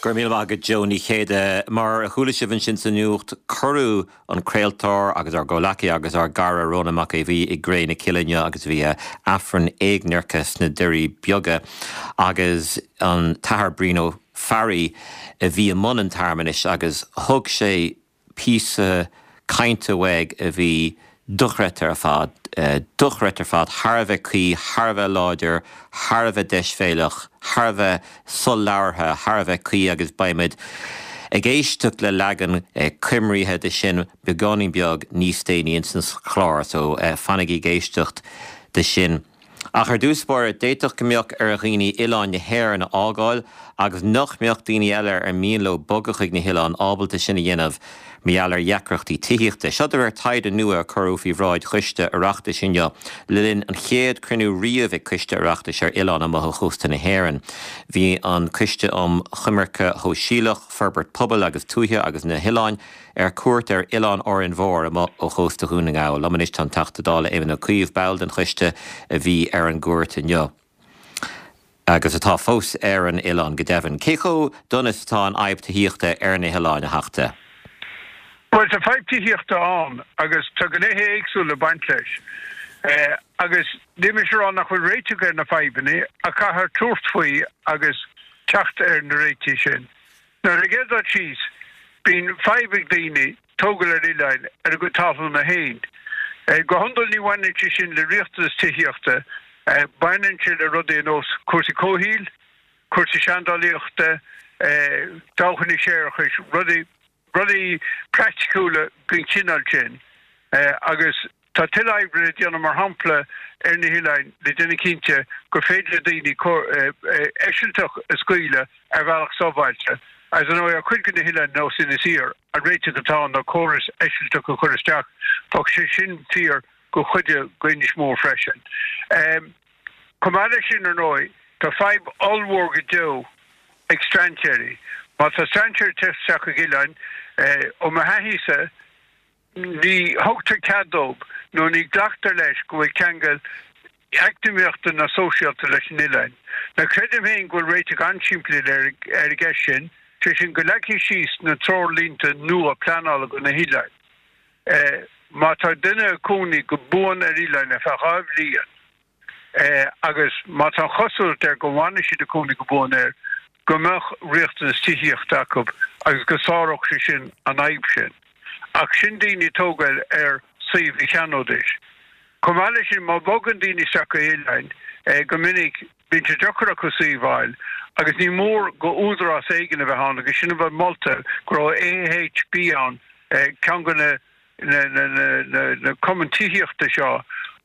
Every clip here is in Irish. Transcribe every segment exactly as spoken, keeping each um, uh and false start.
Go raibh míle maith agat Joe Ní Chéide mar a chuala sibh ansin sa nuacht cuireadh an craoltóir agus ár gcomhghleacaí agus ár gcara Rónán Mac Aodha Bhuí i gcré na cille inniu agus bhí Aifreann éagnairce sna Doirí Beaga agus an tAthair Brian Ó Fearraigh a bhí i mbun an tsearmanais agus thug sé píosa cainte uaidh a bhí dochreidte ar fad, dochreidte ar fad, thar a bheith cuí, thar a bheith láidir, thar a bheith deisbhéalach, thar a bheith solabhartha, thar a bheith cuí agus beimid ag éisteacht le leagan coimrithe de sin beagáinín beag níos déanaí insan chlár, so fanaigí ag éisteacht de sin. Ach ar dtús báire d'fhéadfadh go mbeadh ar dhaoine oileáin na hÉireann a fhágáil agus nach mbeadh daoine eile ar mian leo bogadh chuig na hoileáin ábalta sin a dhéanamh mar gheall ar dheacrachtaí tithíochta. Seo de réir taighde nua a cuireadh faoi bhráid choiste Oireachtais inniu le linn an chéad chruinniú riamh ag coiste Oireachtais ar oileáin amuigh ó chósta na hÉireann. Bhí an coiste um Choimirce Shóisialach, Forbairt Pobail agus Tuaithe agus na hOileáin ar cuairt ar oileán Árainn Mhór amuigh ó chósta Dhún na nGall. Liom anois tá an Teachta Dála Éamon Ó Cuív ball den choiste a bhí ar an gcuairt inniu. agus atá fós ar an oileán go deimhin. Cé chomh dona is atá an fhadhb tithíochta ar na hoileáin a Theachta? Well tá fadhb tithíochta ann agus tá gnéithe éagsúla ag baint leis. Agus níl mise ag rá nach bhfuil réiteach ar na fadhbanna ach caithfear tabhairt faoi agus teacht ar na réitigh sin. Now ar an gcéad dul síos, bíonn fadhb ag daoine tógáil ar oileáin ar a gcuid talúna féin. Go hiondúil ní bhaineann sé sin le riachtanas tithíochta, baineann sé le rudaí ar nós cúrsaí comhshaoil, cúrsaí seandálaíochta, dabhchanna séarachais, rudaí rudaí praiticiúla den chineál sin. Agus tá tuilleadh oibre le déanamh mar shampla ar na hoileáin le déanamh cinnte gur féidir le daoine eisilteach a scaoileadh ar bhealach sábháilte. Agus ar ndóigh ar chuid de na hoileáin nós Inis Oírr, an réiteach atá ann ná córas eisilteach a chur isteach. Bheadh sé sin fíor go chuid d'Inis Mór freisin. Chomh maith leis sin ar ndóigh, tá fadhb ollmhór go deo ag strainséirí. Má tá strainséir ag teacht isteach chuig oileáin, ó mo thaithísa, ní thugtar cead dóibh nó ní ghlactar leis go bhfuil ceangal eacnamaíochta ná sóisialta leis an oileán. Now creidim féin go bhfuil réiteach an-simplí ar an gceist sin, sé sin go leagfaí síos na treoirlínte nua pleanála do na hoileáin. Má tá duine ag cónaí go buan ar oileán ar feadh dhá bhliain agus má tá an chosúlacht air go bhfanfaidh siad ag cónaí go buan air, go mbeadh riachtanas tithíochta acu agus go sáródh sé sin an fhadhb sin. Ach sin daoine ag tógáil ar suíomh a cheannóidís. Chomh maith leis sin, má bhogann daoine isteach go hoileáin, go minic bíonn sé deacair acu suíomh a fháil agus ní mór go údarás éigin a bheith ann agus sin a bheith molta go raibh AHB ann, ceann de na na cumainn tithíochta seo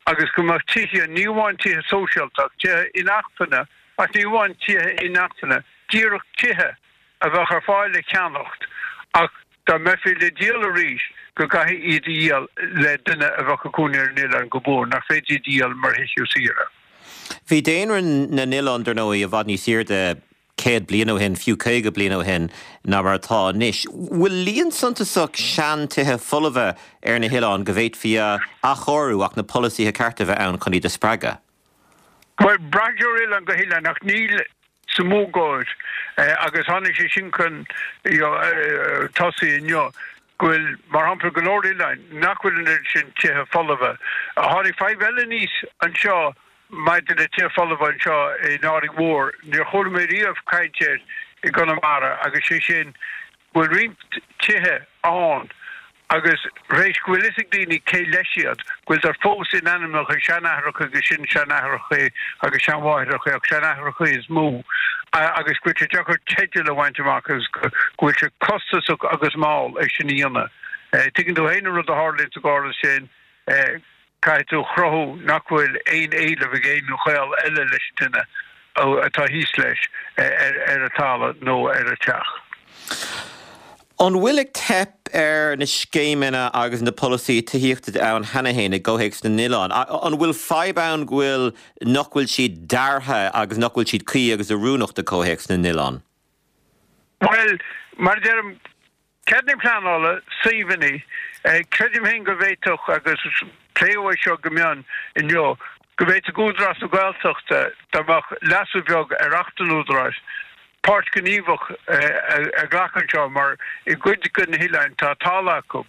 agus go mbeadh tithe, ní amháin tithe sóisialta ach tithe inacmhainne, ach ní amháin tithe inacmhainne, díreach tithe a bheadh ar fáil le ceannacht ach dá mbeifí le díol arís go gcaithfí iad a dhíol le duine a bheadh ag cónaí ar an oileán go buan, nach féidir iad a dhíol mar thithe saoire. Bhí daonra na n-oileán, dar ndóigh, i bhfad níos airde céad bliain ó shin, fiú caoga bliain ó shin, ná mar atá anois. Bhfuil líon suntasach seantithe folmha ar na hoileáin go bhféadfaí a athchóiriú ach na polasaithe cearta a bheith ann chun iad a spreagadh? Bhuel, braitheann sé ó oileán go hoileán ach níl sa mórgóir agus tháinig sé sin chun tosaigh inniu go bhfuil, mar shampla, go leor oileáin nach bhfuil an oiread sin tithe folmha. Tháinig fadhb eile aníos anseo maidir le tithe folmha anseo in Árainn Mhór, níor chuala mé riamh caint air i gConamara agus sé sin go bhfuil roinnt tithe ann agus tar éis go bhfuil fhios ag daoine cé leis iad, go bhfuil siad fós in ainmneacha seanathracha agus sin-seanathracha agus seanmháithreacha ach seanathracha is mó agus go bhfuil sé deacair teideal a bhaint amach agus go bhfuil sé costasach agus mall é sin a dhéanamh. Tuigeann tú féin an rud a tharlaíonn sa gcóras sin. Caithfidh tú a chruthú nach bhfuil aon éileamh ag aon ghaol eile leis an duine atá thíos leis ar an talamh nó ar an teach. An bhfuil ag teip ar na scéimeanna agus na polasaithe tithíochta ann cheana féin i gcomhthéacs na n-oileán? An bhfuil fadhb ann go bhfuil nach bhfuil siad deartha agus nach bhfuil siad cuí agus oiriúnach do chomhthéacs na n-oileán? Bhuel, mar a deirim, Ceadanna pleanála, suíomhanna, creidim féin go bhféadfadh, agus pléadh é seo go mion inniu, go bhféadfadh Údarás na Gaeltachta, dá mbeadh leasú beag ar Acht an Údaráis, páirt ghníomhach a ghlacadh anseo mar i gcuid de na hoileáin tá talamh acu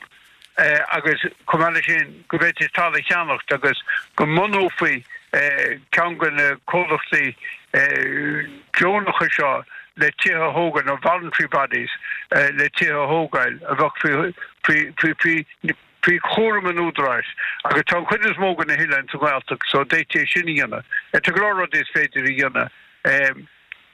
agus chomh maith leis sin go bhféadfaidís talamh a cheannacht agus go mbunófaí ceann de na comhlachtaí deonacha seo le tithe a thógáil nó voluntary bodies le tithe a thógáil a bheadh faoi faoi chúram an údaráis agus tá an chuid is mó de na hoileáin sa Ghaeltacht so d'fhéadfaí é sin a dhéanamh. Tá go leor rudaí is féidir a dhéanamh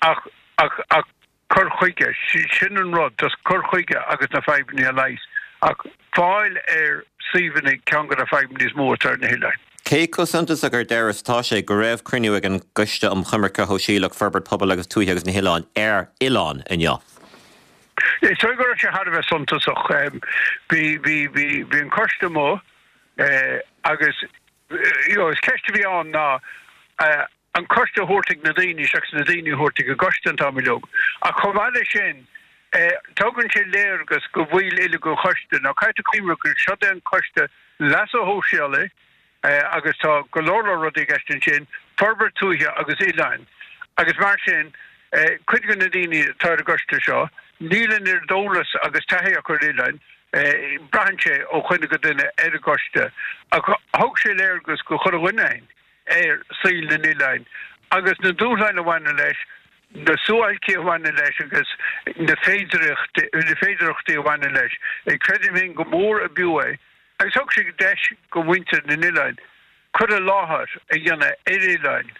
ach ach ach cur chuige, sin an rud, just cur chuige agus na fadhbanna a leigheas ach fáil ar suíomhanna ceann de na fadhbanna is mó atá ar na hoileáin. Cé chomh suntasach ar deireadh is atá sé go raibh cruinniú ag an gCoiste um Choimirce Shóisialach, Forbairt Pobail agus Tuaithe agus na hOileáin ar oileán inniu? Is dóigh go raibh sé thar a bheith suntasach. Bhí bhí bhí bhí an coiste amuigh agus you know, is ceist a bhí ann ná an coiste a thabhairt ag na daoine seachas na daoine a thabhairt ag an gcoiste an t-am uilig. Ach chomh maith leis sin, tugann sé léargas go bhfuil uilig an choiste. Now caithfidh tú cuimhneamh gur seo é an coiste leasa shóisialaigh agus tá go leor leor rudaí i gceist ansin, forbairt tuaithe agus oileáin. Agus mar sin, cuid de na daoine atá ar an gcoiste seo, níl an oiread eolas agus taithí acu ar oileáin, braitheann sé ó dhuine go duine ar an gcoiste. Ach thug sé léargas go chuile dhuine againn ar saol na n-oileán agus na dúshláin a bhaineann leis, na suáilcí a bhaineann leis agus na féidearthachtaí a bhaineann leis. Creidim féin go mór ab fhiú é agus thug sé deis go mhuintir na n-oileán cur i láthair a dhéanamh ar oileáin.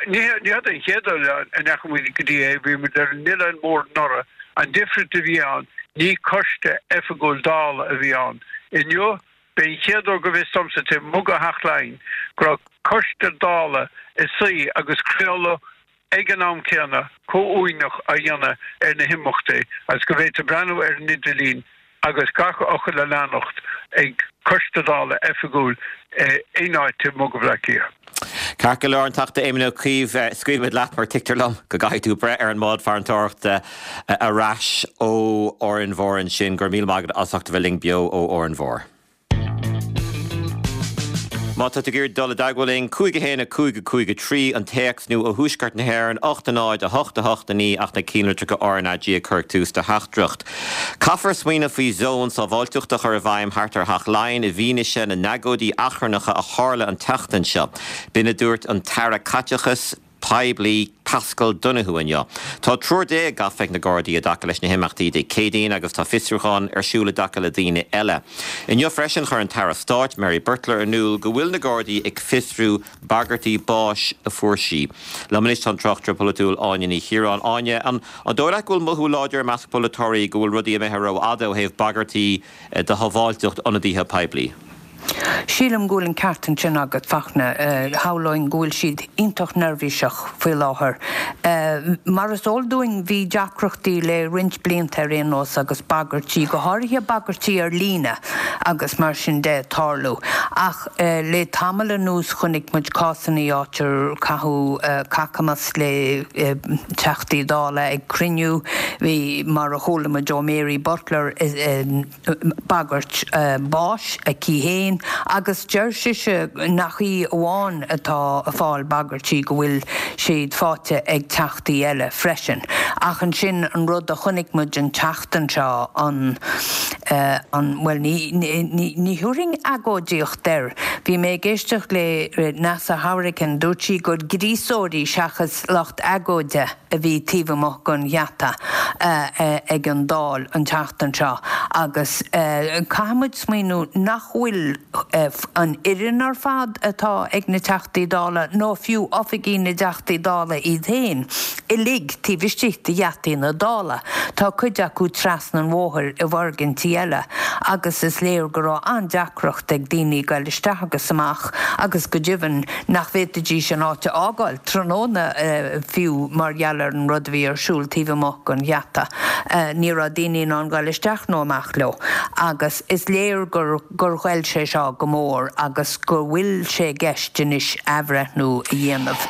Ní hé an chéad oileán a ndeachaigh muid go dtí é, bhí muid ar an Oileán Mór anuraidh, an difríocht a bhí ann, ní coiste oifigiúil Dála a bhí ann. Inniu, b'é an chéad uair go bhfios domsa taobh amuigh de Theach Laighean go raibh coiste Dála ag suí agus craoladh ag an am céanna comhuaineach á dhéanamh ar na himeachtaí agus go bhféadfaí breathnú ar an idirlíon agus gach fhocal a leanacht ag coiste Dála oifigiúil in áit taobh amuigh de Bhaile Átha Cliath. Ceart go leor, an Teachta Éamon Ó Cuív, scaoilfimid leat mar tuigtear liom go gcaithfidh tú breith ar an mbád farantóireachta ar ais ó Árainn Mhór ansin. Go raibh míle maith agat as ucht a bheith linn beo ó Árainn Mhór. Má tá tú ag iarraidh dul i dteagmháil linn, cúig a haon a cúig a cúig a trí an téacs nó ó thuaisceart na hÉireann, ocht a náid a hocht a hocht a naoi ach na ceannlitreacha R N A G a chur ag tús do theachtaireacht. Caithfear smaoineamh faoi zón sábháilteachta a chur i bhfeidhm thart ar Theach Laighean i bhfianaise na n-agóidí achrannacha a tharla an tseachtain seo. B'in a dúirt an tAire Caiteachais Poiblí Paschal Donohoe inniu. Tá triúr déag gafa ag na Gardaí i dtaca leis na himeachtaí Dé Céadaoin agus tá fiosrúchán ar siúl i dtaca le daoine eile. Inniu freisin chuir an tAire Stáit Mary Butler in iúl go bhfuil na Gardaí ag fiosrú bagairtí báis a fuair sí. Liom anois tá an tráchtaire polaitiúil Áine Ní Chiaráin. Áine, an dóigh leat go bhfuil mothú láidir i measc polaiteoirí go bhfuil rudaí imithe rófhada ó thaobh bagairtí do shábháilteacht ionadaithe poiblí? Sílim go bhfuil an ceart ansin agat, Fachtna. Shamhlóinn go bhfuil siad iontach neirbhíseach faoi láthair. Mar is eol dúinn, bhí deacrachtaí le roinnt blianta ar aon nós agus bagairtí, go háirithe bagairtí ar líne agus mar sin de, ag tarlú. Ach le tamall anuas chonaic muid cásanna áit ar caitheadh cacamas le Teachtaí Dála ag cruinniú. Bhí, mar a chuala muid ó Mary Butler, bagairt báis aici féin agus deir sise nach í amháin atá ag fáil bagairtí, go bhfuil siad faighte ag Teachtaí eile freisin. Ach ansin an rud a chonaic muid an tseachtain seo, an, an, bhuel ní, ní, ní thabharfainn agóidíocht air. Bhí mé ag éisteacht le Neasa Hourigan, dúirt sí gur gríosóirí seachas lucht agóide a bhí taobh amuigh den gheata ag an Dáil an tseachtain seo agus caithfidh muid smaoineamh nach bhfuil an fhoireann ar fad atá ag na Teachtaí Dála nó fiú oifigí na dTeachtaí Dála iad féin uilig taobh istigh de gheataí na Dála. Tá cuid acu trasna an bhóthair i bhfoirgintí eile agus is léir go raibh an-deacracht ag daoine goil isteach agus amach agus go deimhin nach bhféadfaidís an áit a fhágáil tráthnóna fiú mar gheall ar an rud a bhí ar siúl taobh amuigh den gheata. Ní raibh daoine in ann dul isteach nó amach leo. Agus is léir gur gur ghoill sé seo go mór agus go bhfuil sé i gceist anois athbhreithniú a dhéanamh.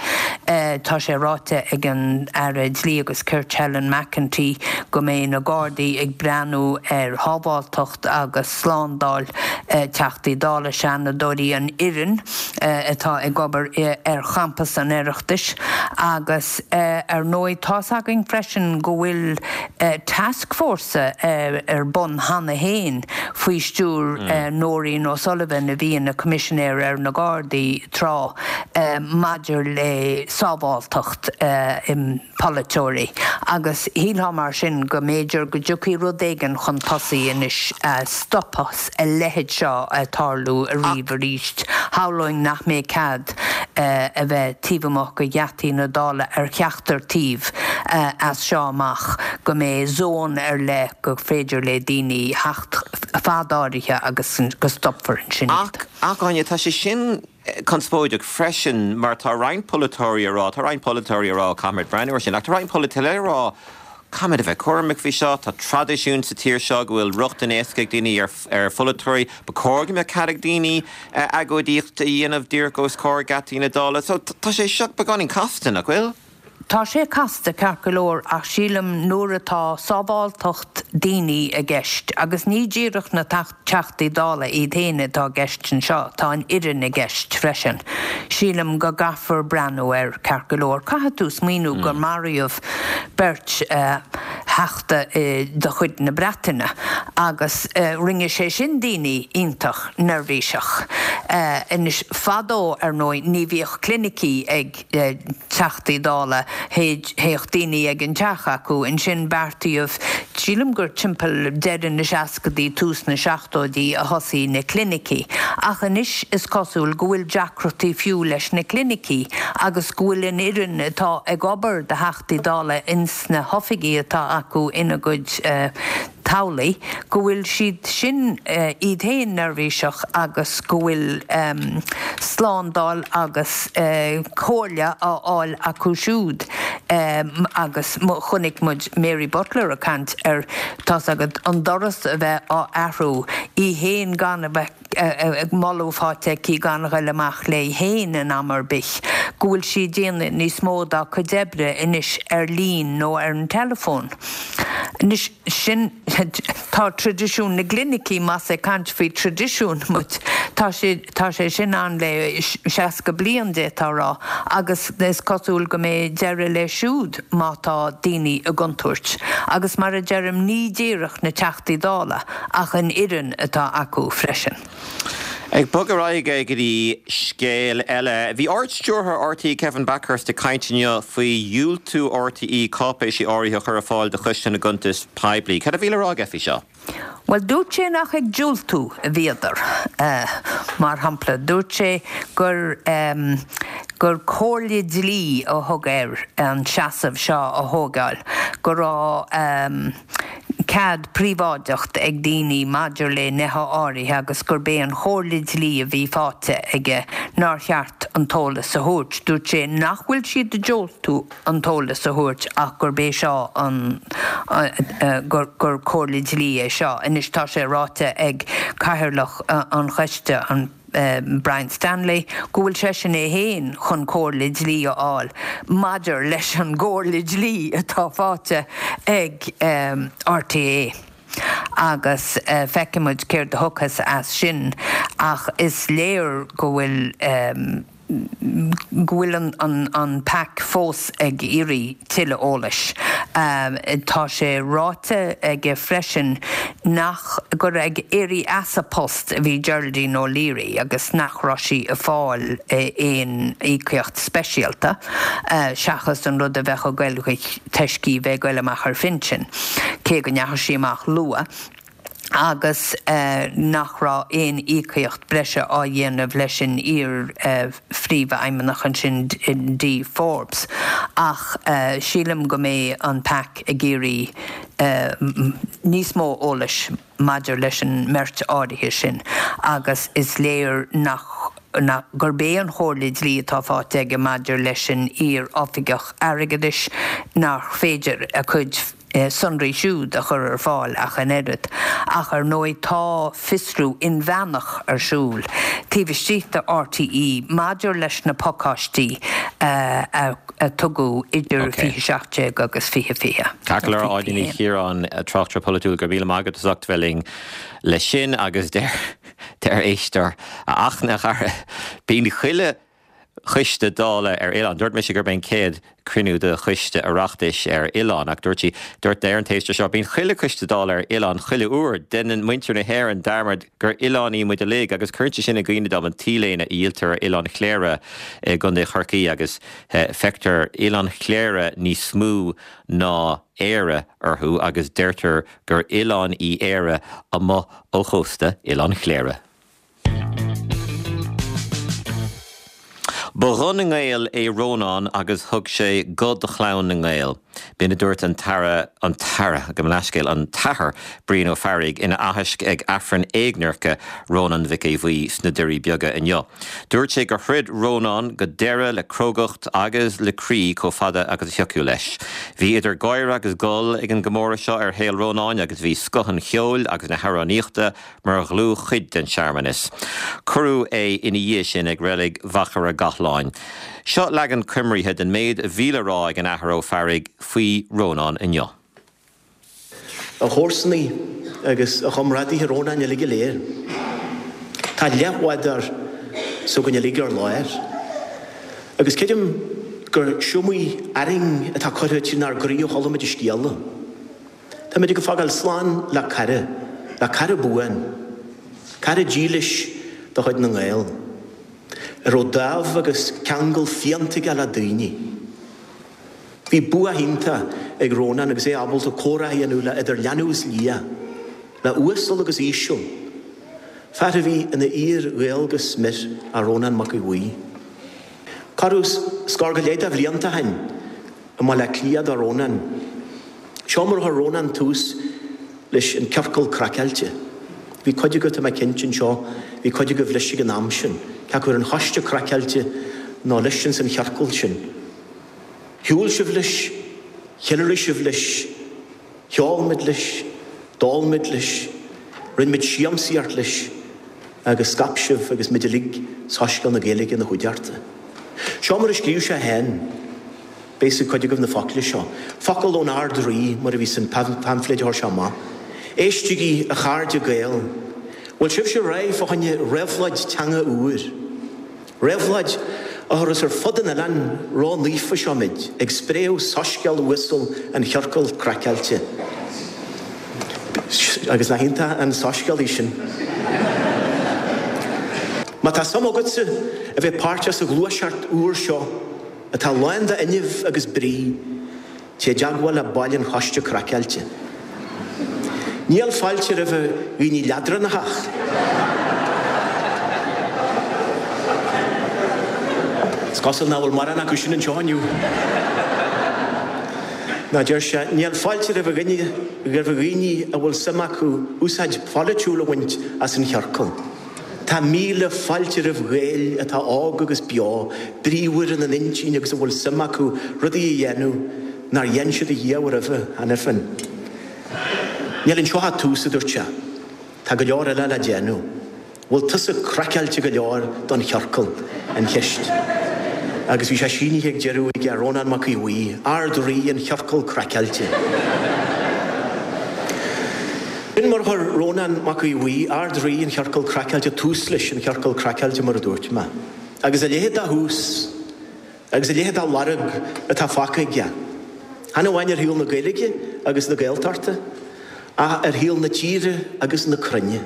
Tá sé ráite ag an Aire Dlí agus Cirt Helen McEntee go mbeidh na Gardaí ag breathnú ar shábháilteacht agus slándáil Teachtaí Dála, Seanadóirí, an fhoireann atá ag obair ar champas an Oireachtais agus ar ndóigh tá's againn freisin go bhfuil tascfhórsa ar bun cheana féin faoi stiúir Nóirín O'Sullivan a bhí ina Coimisinéir ar na Gardaí tráth maidir le sábháilteacht polaiteoirí agus shílfeá mar sin go mb'fhéidir go dtiocfaidh rud éigin chun tosaigh anois a stopfas a leithéid seo ag tarlú ariamh arís. Shamhlóinn nach mbeidh cead a bheith taobh amuigh de gheataí na Dála ar cheachtar taobh as seo amach, go mbeidh zón ar leith gur féidir le daoine theacht fad áirithe agus go stopfar ansin iad. Ach, Áine, tá sé sin conspóideach freisin mar tá roinnt polaiteoirí ag rá, tá roinnt polaiteoirí ag rá caithfimid breathnú air sin, ach tá roinnt polaiteoirí eile ag rá caithfimid a bheith cúramach faoi seo, tá traidisiún sa tír seo go bhfuil rochtain éasca ag daoine ar ar pholaiteoirí, ba chóir go mbeadh cead ag daoine agóidíocht a dhéanamh díreach os comhair geataí na Dála. So tá sé seo beagáinín casta, nach bhfuil? Tá sé casta ceart go leor ach sílim nuair atá sábháilteacht daoine i gceist, agus ní díreach na Teachtaí Dála iad féin atá i gceist anseo, tá an fhoireann i gceist freisin, sílim go gcaithfear breathnú air ceart go leor. Caithfidh tú smaoineamh gur maraíodh beirt Theachta de chuid na Breataine agus rinne sé sin daoine iontach neirbhíseach. Anois fadó ar ndóigh ní bhíodh clinicí ag Teachtaí Dála, théadh daoine ag an teach acu. Ansin beartaíodh, sílim gur timpeall deireadh na seascadaí, tús na seachtóidí a thosaigh na clinicí. Ach anois is cosúil go bhfuil deacrachtaí fiú leis na clinicí agus go bhfuil an fhoireann atá ag obair do Theachtaí Dála ins na hoifigí atá acu ina gcuid teaghlaigh, go bhfuil siad sin iad féin neirbhíseach agus go bhfuil slándáil agus comhairle á fháil acu siúd agus chonaic muid Mary Butler ag caint ar, tá's agat, an doras a bheith á athrú, í féin gan a bheith moladh faighte aici gan a ghoil amach léi féin in am ar bith, go bhfuil sí ag déanamh níos mó dá cuid oibre anois ar líne nó ar an teileafón. Anois, sin, tá traidisiún na gclinicí, más ag caint faoi traidisiún muid, tá sé, tá sé sin ann le seasca bliain, d'fhéadfá a rá, agus is cosúil go mbeidh deireadh leis siúd má tá daoine i gcontúirt. Agus mar a deirim, ní díreach na Teachtaí Dála ach an fhoireann atá acu freisin. Ag bogadh ar aghaidh go dtí scéal eile, bhí Ard-Stiúrthóir R T E Kevin Bakhurst ag caint inniu faoi dhiúltú R T E cáipéisí áirithe a chur ar fáil do Choiste na gCuntas Poiblí. Cad a bhí le rá aige faoi seo? Bhuel, dúirt sé nach ag diúltú a bhíodar. Mar shampla, dúirt sé gur gur comhairle dlí a thug air an seasamh seo a thógáil, go raibh cead príobháideacht ag daoine maidir le nithe áirithe agus gurb é an chomhairle dlí a bhí faighte aige nár cheart an t-eolas a thabhairt. Dúirt sé nach bhfuil siad ag diúltú an t-eolas a thabhairt ach gurb é seo an gur gur comhairle dlí é seo. Anois tá sé ráite ag Cathaoirleach an Choiste, an Brian Stanley, go bhfuil seisean é féin chun comhairle dlí a fháil maidir leis an gcomhairle dlí atá faighte ag R T É agus feicfimid céard a thiocfas as sin ach is léir go bhfuil go bhfuil an an P A C fós ag iarraidh tuilleadh eolais. Tá sé ráite aige freisin nach gur ag éirí as a post a bhí Geraldine O'Leary agus nach raibh sí ag fáil aon íocaíocht speisialta seachas an rud a bheadh ag goil toisc í bheith ag goil amach ar phinsean, cé go ndeachaigh sí amach luath. Agus nach raibh aon íocaíocht breise á dhéanamh leis an iar-phríomhfheidhmeannach ansin Dee Forbes. Ach sílim go mbeidh an P A C ag iarraidh níos mó eolais maidir leis an mbeirt áirithe sin agus is léir nach gurb é an chomhairle dlí atá faighte aige maidir leis an iar-oifigeach airgeadais nach féidir a cuid sonraí siúd a chur ar fáil ach an oiread. Ach ar ndóigh tá fiosrú inmheánach ar siúl taobh istigh de R T E maidir leis na pacáistí a a tugadh idir fiche seacht déag agus fiche fiche. Ceart go leor. Áine Ní Chiaráin, tráchtaire polaitiúil, go raibh míle maith agat as ucht bheith linn leis sin. Agus deir deir éisteoir, "A Fhachtna, a chara, bíonn chuile choiste Dála ar oileán." Dúirt mise gurb é an chéad cruinniú de choiste Oireachtais ar oileán, ach dúirt sí dúirt ar an t-éisteoir seo, "Bíonn chuile choiste Dála ar oileán chuile uair. Déanann muintir na hÉireann dearmad gur oileáin muid uilig agus cuireann sé sin i gcuimhne dom an t-léine a dhíoltar ar Oileán Chléire i gContae Chorcaí agus feictear Oileán Chléire níos mó ná Éire orthu agus deirtear gur oileán í Éire amuigh ó chósta Oileán Chléire." Ba ghuth na nGael é Rónán agus thug sé guth do chlann na nGael. B'in a dúirt an tAire an tAire gabh mo leithscéal an tAthair Brian Ó Fearraigh ina aitheasc ag Aifreann éagnairce Rónán Mhic Aodha Bhuí sna Doirí Beaga inniu. Dúirt sé gur throid Rónán go deireadh le crógacht agus le croí chomh fada agus a thiocfadh leis. Bhí idir gáire agus gol ag an gcomóradh seo ar shaol Rónáin agus bhí scoth an cheoil agus na hamhránaíochta mar dhlúthchuid den searmanas. Cuireadh é ina dhiaidh sin ag reilig Mhachaire Gathlán. Seo leagan coimrithe den méid a bhí le rá ag an Athair Ó Fearraigh faoi Rónán inniu. A chomharsanaí agus a chomrádaithe Rónáin uilig go léir. Tá leathbhádóir s'againn uilig ar lár. Agus creidim gur siomai arraing atá curtha trínár gcroí ó chuala muid a scéala. Táimid ag fágáil slán le cara, le cara buan, cara dílis de chuid na nGael, a raibh dáimh agus ceangal fiánta aige le daoine. Bhí bua iontach ag Rónán agus é ábalta comhrá a dhéanamh le idir leanbh is liath, le uasal agus íseal. Fear a bhí ina fhíor-Ghael go smior é Rónán Mac Aodha Bhuí. Corradh scór go leith de bhlianta ó shin i mBaile Átha Cliath do Rónán. Seo mar a chuir Rónán tús leis an Ciorcal Craiceáilte. Bhí cuid agaibh, tá mé cinnte, anseo, bhí cuid agaibh leis ag an am sin, cé acu ar an Choiste Craiceáilte nó leis ins an chiorcal sin. Shiúil sibh leis, cheiliúraigh sibh leis, cheol muid leis, d'ól muid leis, rinne muid siamsaíocht leis agus scaip sibh agus muid uilig soiscéal na Gaeilge ina chuideachta. Seo mar a scríobh sé féin. Beidh a fhios ag cuid agaibh na focla seo. Focal ón Ard-Rí, mar a bhí san paimfléad a chuir sé amach. Éistigí, a chairde Gael. Bhfuil sibhse réidh fá choinne réabhlóid teanga úr? Réabhlóid a thabharfas ar fud an oileáin ró-naofa seo muid, ag spréadh soiscéal uasal an chiorcail craiceáilte. Agus nach iontach an soiscéal é sin? Má tá suim agatsa a bheith páirteach sa ghluaiseacht úr seo, atá lán de fhuinneamh agus brí, téigh i dteagmháil le baill an Choiste Craiceáilte. Níl fáilte roimh dhaoine leadránacha. Is cosúil nach bhfuil mórán acu sin anseo inniu. Ná, deir sé, níl fáilte roimh dhaoine, roimh dhaoine a bhfuil suim acu úsáid pholaitiúil a bhaint as an chiorcal. Tá míle fáilte roimh Ghaeil atá óg agus beo, bríomhar ina n-intinn agus a bhfuil suim acu rudaí a dhéanamh nár dhein siad ariamh roimhe cheana féin. Níl anseo ach tús, a dúirt sé. Tá go leor eile le déanamh. Bhfuil tusa craiceáilte go leor don chiorcal? an cheist. Agus bhí sé sínithe ag deireadh aige, Rónán Mac Aodha Bhuí, Ard-Rí an Chiorcail Craiceáilte. B'in mar a chuir Rónán Mac Aodha Bhuí, Ard-Rí an Chiorcail Craiceáilte tús leis an Chiorcal Craiceáilte mar a dúirt mé. Agus a leithéid de thús, agus a leithéid de lorg atá fágtha aige, chan amháin ar shaol na Gaeilge agus na Gaeltachta, ach ar shaol na tíre agus na cruinne.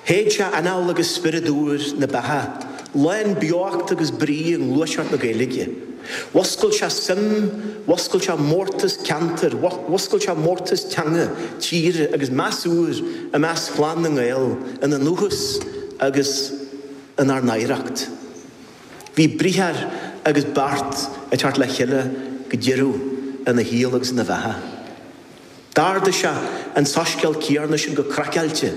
Shéid sé anáil agus spiorad úr na beatha, lán beocht agus brí i ngluaiseacht na Gaeilge. Mhuscail sé suim, mhuscail sé mórtas ceantair, mhuscail sé mórtas teanga, tíre agus meas úr i measc chlann na nGael ina ndúchas agus inár n-oidhreacht. Bhí briathar agus beart ag teacht le chéile go deireadh ina shaol agus ina bheatha. D'ardaigh sé an soiscéal céanna sin go craiceáilte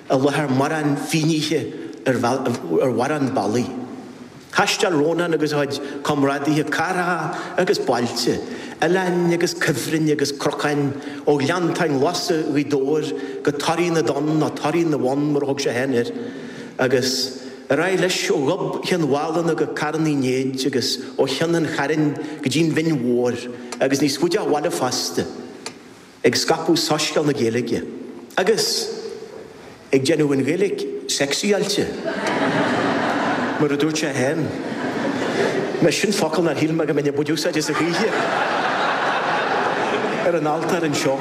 i láthair mórán fínnéithe ar mhórán bealaí. Thaisteal Rónán agus a chuid comrádaithe cathracha agus bailte, oileáin agus cuibhrinn agus cnocáin, ó Ghleanntáin Ghlasa Ghaoth Dobhair go Toraigh na dTonn nó Toraigh na bhFonn mar a thug sé féin air, agus ar aghaidh leis ó Ghob Chionn Mhálanna go Carn Uí Néid agus ó Chionn an Chairn go dtí'n Bhinn Mhór agus níos faide ó bhaile fosta, ag scaipeadh soiscéal na Gaeilge agus ag déanamh an Ghaeilge sexy-áilte, mar a dúirt sé féin. Mar sin focal nár shíl mé go mbeinn ag baint úsáid as a choíche ar an altóir anseo.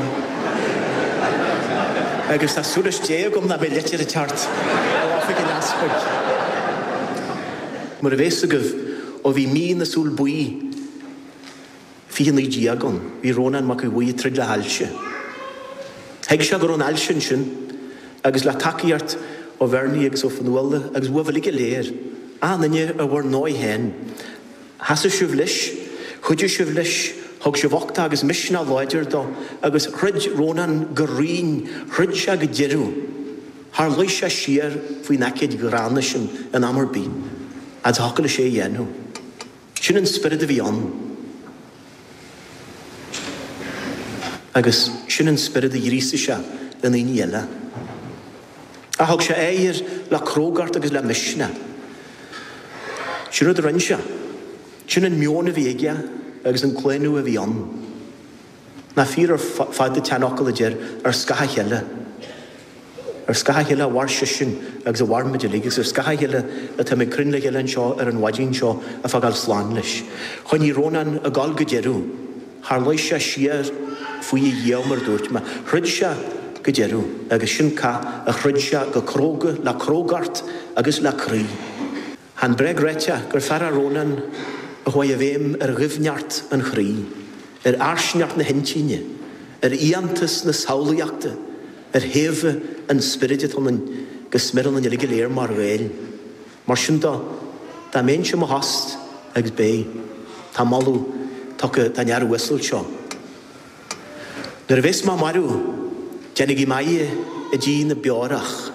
Agus tá suas Dé agam nach mbeidh litir ag teacht ó oifig an easpaig. Mar a bheas agaibh ó bhí mí na súl buí fiche naoi déag ann, bhí Rónán Mac Aodh Bhuí ag troid le hailse. Thuig sé go raibh an ailse ansin agus le tacaíocht ó Bhernie agus ó Fionnuala agus uaibh uilig go léir, achan duine ar bhur ndóigh féin. Sheasaigh sibh leis, chuidigh sibh leis, thug sibh uchtach agus misneach láidir dó agus throid Rónán go righin, throid sé go deireadh. Char luigh sé siar faoin aicíd ghránna sin in am ar bith, fhad is a thiocfadh leis é a dhéanamh. Sin an spiorad a bhí ann. Agus sin an spiorad a ghríosaigh sé i ndaoine eile. Ach thug sé aghaidh air le crógacht agus le misneach. Sin rud a rinne sé. Sin an meon a bhí aige agus an claonadh a bhí ann. Nach fíor ar fad an tseanfhocal a deir, ar scáth a chéile. Ar scáth a chéile a mhair seisean agus a mhair muid uilig, agus ar scáth a chéile atáimid cruinn le chéile anseo ar an mhaidin seo ag fágáil slán leis. Choinnigh Rónán ag gabháil go deireadh. Char luigh sé siar faoi a dhíogha, mar a dúirt mé. Throid sé go deireadh, agus sin cath a throid sé go cróga, le crógacht agus le croí. Chan bréag ráite gur fear é Rónán a chuaigh i bhfeidhm ar dhoimhneacht an chroí, ar fhairsingeacht na hintinne, ar fhiántas na samhlaíochta, ar shéimhe an spioraid atá ionainn go smior ionainn uilig go léir mar Ghaeil. Mar sin de, dá mbeinnse i mo thost, agus beidh, tá moladh tugtha don fhear uasal seo. Nuair a bheas mé marbh, déanaigí m'adhadh i dTigh na Beorach.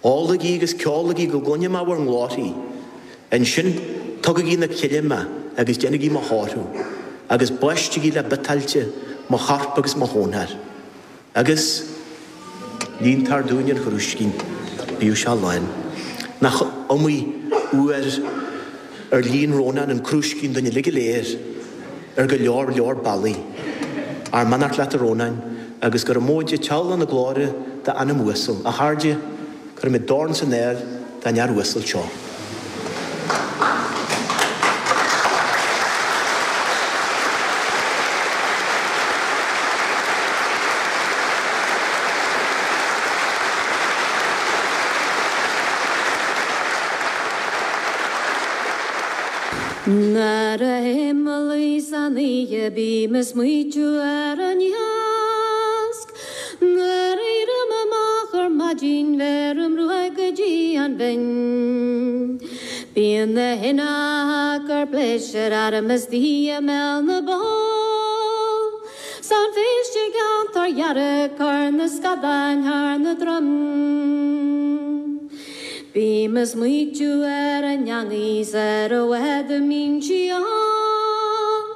Ólaigí agus ceolaigí go gcluine mé bhur nglórthaí. Ansin, tugaigí 'na cille mé agus déanaigí mo thórramh, agus baistigí le biotáilte mo chorp agus mo chónár. Agus líontar dúinn an chrúiscín, bíodh sé lán. Nach iomaí uair ar líon Rónán an crúiscín dúinn uilig go léir ar go leor leor bealaí. Ár mbeannacht leat a Rónáin, agus gura móide teaghlach na glóire d'anam uasal. A chairde, cuirimid dorn san aer don fhear uasal seo. Nuair a théim a luí san oíche bím ag smaoitiú ar an iasc. Nuair a éirím amach ar maidin bheirim ruaig go dtí an bhinn. Bíonn na huibheacha ag cur pléisiúir orm istigh i mbéal na bpoll. 'S an phéist i gceantar dhearg cur na scadáin thar na droim. Bím ag smaoitiú ar an eangaí 's ar an bhfad a mbíonn sí ann.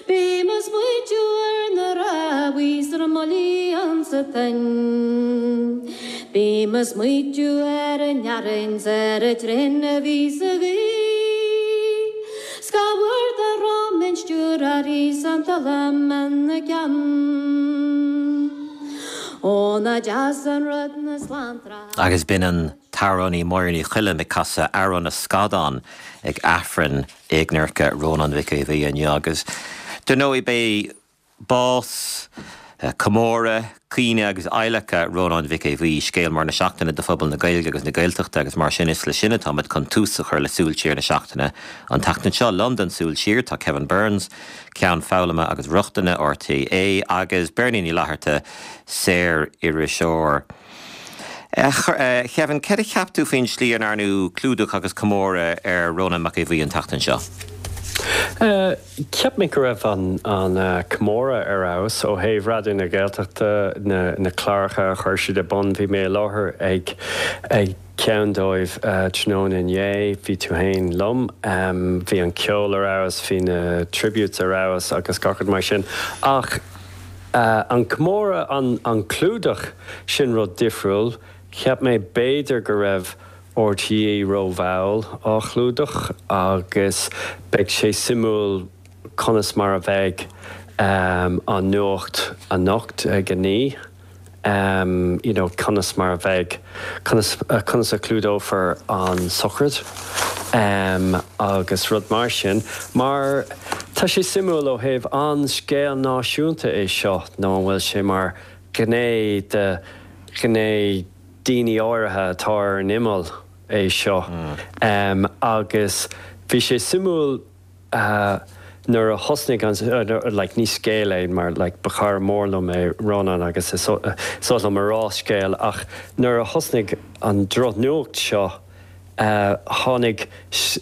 Bím ag smaoitiú ar na rámhaí 's ar an mbuillí ansa toinn. Bím ag smaoitiú ar an fhearthainn 's ar an traein a bhí sa ghaoth. 'S cá huair dá raibh mé stiúir uirthi 's an talam ina ceann. Ó nach deas an rud na slántra. Agus b'in an t-amhránaí Máire Ní Choilm ag casadh Amhrán na Scadán ag Aifreann éagnairce Rónán Mhic Aodha Bhuí inniu agus dar ndóigh beidh bás, comóradh, caoineadh agus adhlacadh Rónán Mhic Aodha Bhuí, scéal mór na seachtaine do phobal na Gaeilge agus na Gaeltachta agus mar sin is le sin atáimid chun tús a chur le Súil Siar na seachtaine. An tseachtain seo liom don Súil Siar tá Kevin Burns, Ceann Foghlama agus Rochtana RTÉ agus Beirní Ní Fhlatharta, saor-iriseoir. A Kevin, céard a cheap tú faoin slí a ndearnadh clúdach agus comóradh ar Rónán Mac Aodha Bhuí an tseachtain seo? Cheap mé go raibh an an comóradh ar fheabhas ó thaobh Raidió na Gaeltachta na na cláracha a chuir siad ar bun bhí mé i láthair ag ag ceann dóibh tráthnóna inné bhí tú féin liom bhí an ceol ar fheabhas bhí na tributes ar fheabhas agus gach rud mar sin ach an comóradh an an clúdach sin rud difriúil cheap mé b'fhéidir go raibh RTÉ rómhall á chlúdach agus beidh sé suimiúil conas mar a bheidh um, an nuacht anocht ag a naoi. Um, you know, conas mar a bheidh conas, uh, conas a chlúdófar an sochraid um, agus rud mar sin, mar tá sé suimiúil ó thaobh an scéal náisiúnta é seo nó an bhfuil sé mar gné de ghné daoine áirithe atá ar an imeall é seo. Mm. Um, agus bhí sé suimiúil uh, nuair a thosnaigh an uh, like, ní scéal é mar like, ba chara mór liom é Rónán agus is so, uh, so liom a rá scéal ach nuair a thosnaigh an drochnuacht seo uh, tháinig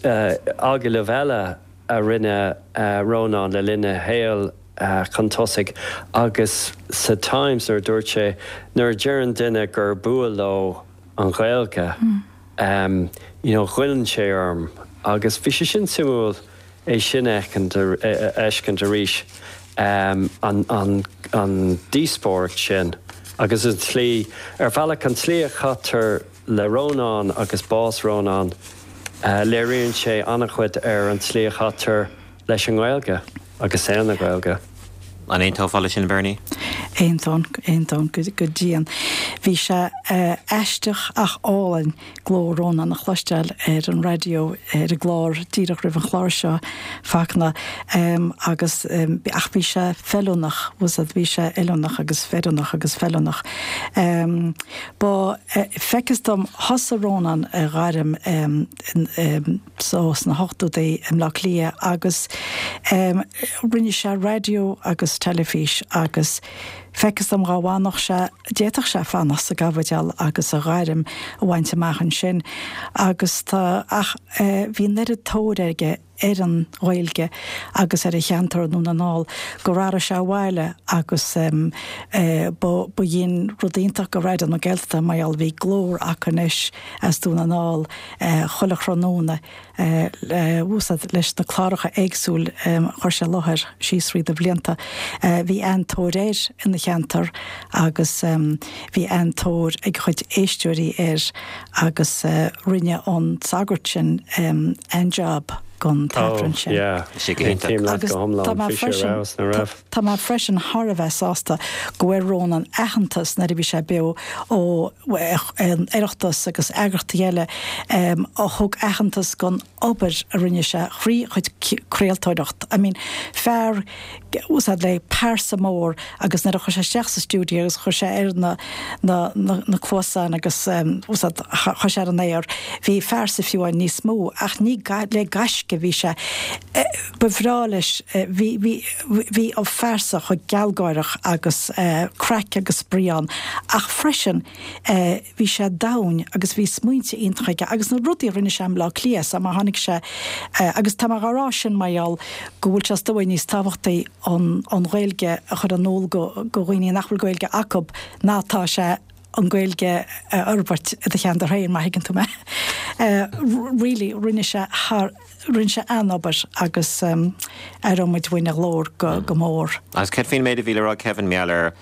uh, agallamh eile a rinne uh, Rónán le linn a shaoil uh, chun tosaigh agus sa Times nuair dúirt sé nuair deireann duine gur bua leo an Ghaeilge mm. um, you know, goilleann sé orm agus bhí sé sin suimiúil é sin a fheiscint arís um, an, an, an díospóireacht sin agus an tslí ar bhealach an tslí a chaitear le Rónán agus bás Rónán uh, léiríonn sé an-chuid ar an tslí a chaitear leis an nGaeilge agus saol na Gaeilge. An aontófá leis sin Bernie? Aontaím aontaím go go dian. Bhí sé uh, aisteach ach álainn glór Rónán a chloisteáil ar an raidió ar an gclár díreach roimh an chlár seo Fachtna um, agus um, ach bhí sé feiliúnach was bhí sé oiriúnach agus feiliúnach agus feiliúnach. Um, Ba uh, feictear dom thosaigh Rónán a ghairm um, um, so sna hochtóidí i mBleá Cliath agus um, rinne sé raidió agus teilifís agus feictear dom dá bhfanfadh sé d'fhéadfadh sé fanacht sa gCaibidil agus a ghairm a bhaint amach ansin agus tá ach eh, bhí an oiread tóir aige ar an Ghaeilge agus ar a cheantar Dhún na nGall gur tharraing sé abhaile agus um, eh, ba dhin rud iontach go Raidió na Gaeltachta mar bhí glór acu anois as Dún na nGall eh, chuile thráthnóna eh, úsáid leis na cláracha éagsúil um, chuir sé láthair síos thríd na blianta. Eh, bhí an-tóir air ina cheantar agus um, bhí an-tóir ag chuid éisteoirí air agus uh, rinne an sagart sin um, an job gon t-aifreann sin. Tá mé freisin thar a bheith sásta go bhfuair Rónán aitheantas nuair a bhí sé beo ó Oireachtas agus eagraíochtaí eile a thug aitheantas gon obair a rinne sé thrí chuid craoltóireacht. I mean fear úsáid le pearsa mór agus nuair a chuir sé isteach sa stiúideo agus chuir sé ar na na na na cluasáin agus úsáid chuir sé ar an aer bhí fearsa fiú níos mó ach ní le gaisce bhí sé ba bhreá leis bhí bhí a phearsa chomh gealgháireach agus craic agus spraoi ann ach freisin bhí sé domhain agus bhí smaointe iontacha aige agus na rudaí a rinne sé i mBleá Cliath mar tháinig sé agus tá mar rá sin maial go bhfuil sé stó níos tábhachtaí an an Ghaeilge a chur in iúl go go dhaoine nach bhfuil Gaeilge acu ná tá sé an Ghaeilge a fhorbairt i do cheantar féin má thuigeann tú mé. Really rinne sé thar rinne sé an-obair agus um, aireoidh muid uainn a ghlór go, go mór. Agus céard faoin méid a bhí le rá Kevin mar gheall ar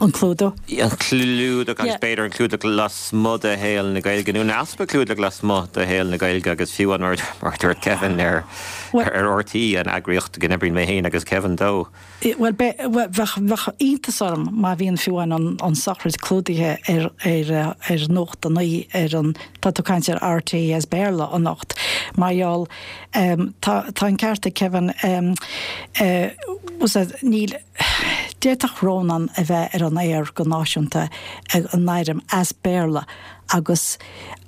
An clúdach? An clúdach agus b'fhéidir an clúdach lasmuigh de shaol na Gaeilge nó an easpa clúdach lasmuigh de shaol na Gaeilge agus fiú mar mar dúirt Kevin ar ar RTÉ an eagraíocht go n-oibríonn mé féin agus Kevin dó. Well bheadh iontas orm má bhíonn fiú an an sochraid clúdaithe ar ar ar Nuacht a Naoi ar an tá tú caint ar RTÉ as Béarla anocht mar gheall um, tá tá an ceart ag Kevin um, uh, níl D'fhéadfadh Rónán a bheith ar an aer go náisiúnta ag an éirim as Béarla agus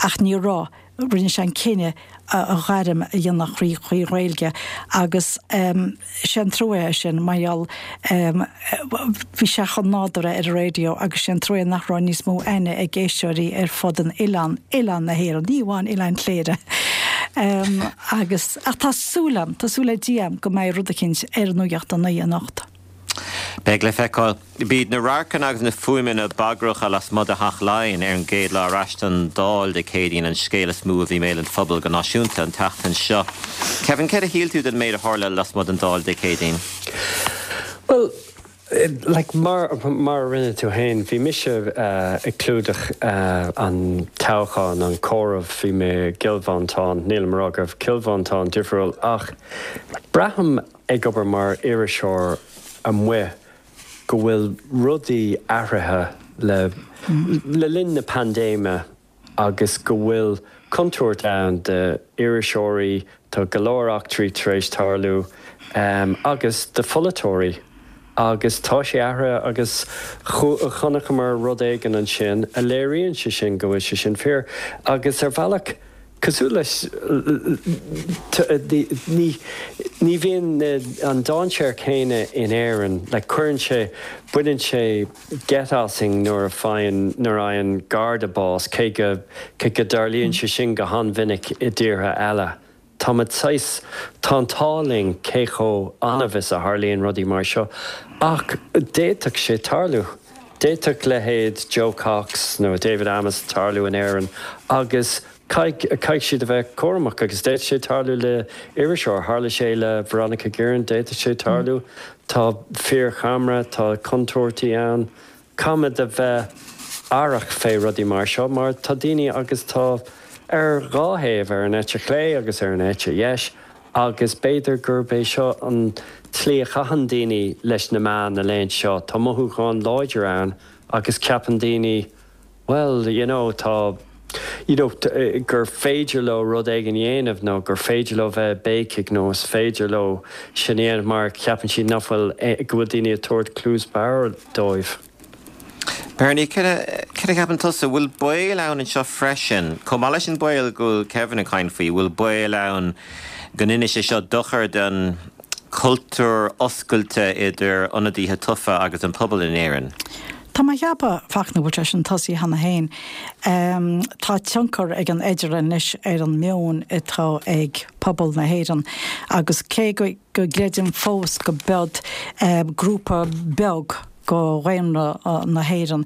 ach ní raibh rinne sé an cinneadh a ghairm a dhéanamh trí trí Ghaeilge agus um, sé an trua sin mar gheall um, bhí sé chomh nádúrtha ar an raidió agus sé an trua nach raibh níos mó aithne ag éisteoirí ar fud an oileán oileán na hÉireann, ní amháin Oileán Chléire. Agus, ach tá súil agam, tá súil le Dia agam go mbeidh rud eicínt ar an nuacht a naoi anocht. Beidh le feiceáil. B'iad na radharcanna agus na fuaimeanna bagracha lasmuigh de Theach Laighean ar an gcéad lá ar ais don Dáil Dé Céadaoin an scéal is mó a bhí i mbéal an phobail go náisiúnta an tseachtain seo. Kevin, céard a shíl tú den méid a tharla lasmuigh den Dáil Dé Céadaoin? Well, like mar mar a rinne tú féin, bhí mise uh, ag clúdach uh, an toghchán an comhaireamh bhí mé i gCill Mhantáin, níl mar go Cill Mhantáin difriúil ach braithim ag obair mar iriseoir amuigh go bhfuil rudaí athraithe le le linn na paindéime agus go bhfuil contúirt ann d'iriseoirí tá go leor eachtraí tar éis tarlú um, agus do pholaiteoirí agus tá sé athraithe agus chonaiceamar rud éigin ansin a léiríonn sé sin go bhfuil sé sin fíor agus ar bhealach cosúil leis ní ní bhíonn an dainséar céanna in Éirinn le cuireann sé baineann sé geit asainn nuair a faigheann nuair a fhaigheann garda bás cé go cé go dtarlaíonn sé sin go han-mhinic i dtíortha eile. Tá sais tá an t-ádh linn cé chomh annamh is a tharlaíonn rudaí mar seo ach d'fhéadfadh sé tarlú. D'fhéadfadh leithéid Jo Cox nó David Amess tarlú in Éirinn agus caithfidh siad a bheith cúramach agus d'fhéadfadh sé tarlú le iriseoir, tharla sé le Veronica Guerin, d'fhéadfadh sé tarlú, tá fíorcheamara, tá contúirtí ann, Caithfimid a bheith aireach fé rudaí mar seo, mar tá daoine agus tá ar dhá thaobh ar an eite chlé agus ar an eite dheis, agus b'fhéidir gurb é seo an tslí a chaitheann daoine leis na meáin na laethanta seo, Tá mothúchán láidir ann agus ceapann daoine well, you know, tá you know, gur féidir leo rud éigin a dhéanamh nó gur féidir leo bheith béicigh nó is féidir leo sin a dhéanamh mar ceapann siad nach bhfuil go bhfuil daoine ag tabhairt cluas bhodhar dóibh. Bernie, céard a cheapann tusa bhfuil baol ann anseo freisin, Chomh maith leis an baol go bhfuil Kevin ag caint faoi, bhfuil baol ann go ndéanfaidh sé seo dochar don cultúr oscailte idir ionadaithe tofa agus an pobal in Éirinn. Tá mé ag ceapadh Fachtna bhfuil sé sin tosaithe cheana féin. Um, tá tionchar ag an idirlíon anois ar an meon atá ag pobal na hÉireann agus cé go, go gcreidim fós go bead um, grúpa beag go dhaonra uh, na hÉireann.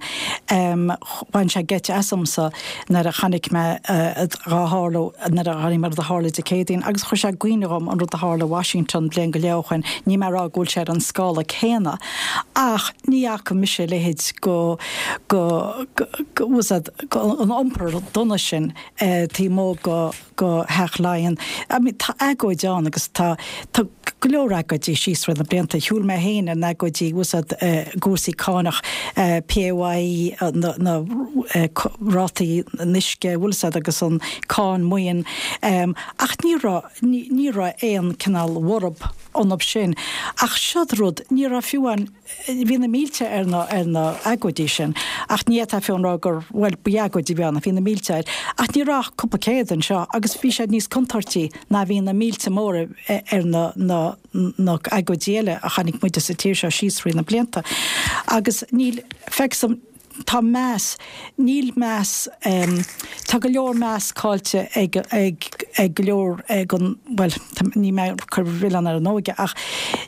Um, Bhain sé geit asamsa nuair a chonaic mé uh, dhá tharla nuair a chonaic mé rud a tharla Dé Céadaoin, agus chuir sé i gcuimhne dhom an rud a tharla Washington bliain go leith ó shin, ní mar go bhfuil sé ar an scála céanna. Ach ní fhaca mise a leithéid go go go go an iompar dona sin uh, taobh amuigh go go Theach Laighean. I mean, tá agóid ann agus tá tá go leor agóidí síos thrí na blianta. Shiúil mé féin ar na agóidí úsáid uh, cúrsaí cánach uh, PAYE uh, na, na uh, rátaí uisce bhfuilsad agus an cáin maoin um, ach ní raibh ní, ní raibh aon cineál borb iontu sin. Ach seod rud ní raibh fiú an bhí na mílte ar na ar na agóidí sin ach ní tá fiú rá gur well b'agóidí bhí na bhí na mílte air ach ní raibh cúpla céad anseo agus bhí siad níos contúirtí ná bhí na mílte móra ar na na na agóidí eile a chonaic muide sa tír seo síos thrí na blianta. Agus níl feicim tá meas níl meas um, tá go leor meas caillte ag ag ag go leor ag an well ní mé chur milleán ar an óige ach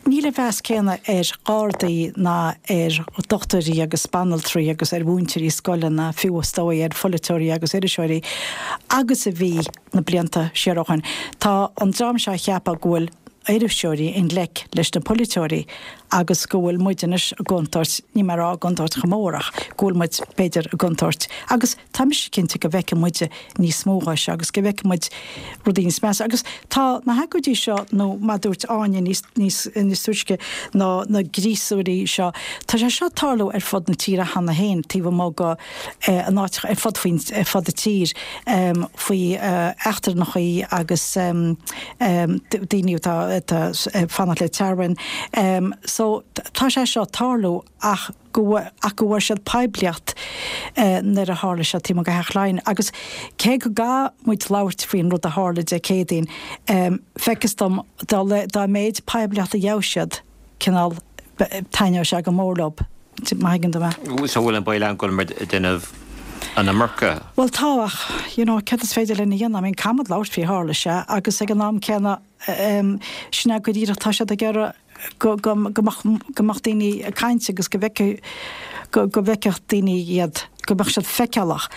níl an meas céanna ar Ghardaí ná ar dochtúirí agus banaltraí agus ar mhúinteoirí scoile fiú is dóigh ar pholaiteoirí agus iriseoirí agus a bhí na blianta siar ó shin. Tá an dream seo ag ceapadh go bhfuil iriseoirí i ngleic leis na polaiteoirí agus go bhfuil muid anois i gcontúirt ní mar á gcontúirt chomórach go bhfuil muid b'fhéidir i gcontúirt agus tá mise cinnte go bhfeicfidh muid níos mó seo agus go bhfeicfidh muid rudaí níos measa agus tá na hagóidí seo nó mar a dúirt Áine níos níos níos túisce ná na gríosóirí seo Tá sé seo ag tarlú ar fud na tíre cheana féin taobh amuigh go eh, an áit ar fud faoin ar fud na tír um, faoi uh, eachtrannachaí agus um, um, daoine atá atá fanacht le tearmann. Um, so tá sé seo ag tarlú ach go ach go bhfuair siad poiblíocht uh, nuair a tharla sé taobh amuigh de Theach Laighean agus cé go gcaithfidh muid labhairt faoin rud a tharla Dé Céadaoin um, feictear dom dá dá méid poiblíocht a gheobhaidh siad cineál taitneoidh sé go mór leo má thuigeann tú mé. So bhfuil an baol ann go bhfuil muid déanamh an iomarca. Bhuel tá ach, you know, cad is féidir linn a dhéanamh? I mean, caithfimid labhairt faoi tharla sé agus ag an am céanna um, sin go díreach tá siad ag iarraidh go go go mbeadh go mbeadh daoine ag caint agus go bhfeicfeadh go go bhfeicfeadh daoine iad go mbeadh siad feiceálach.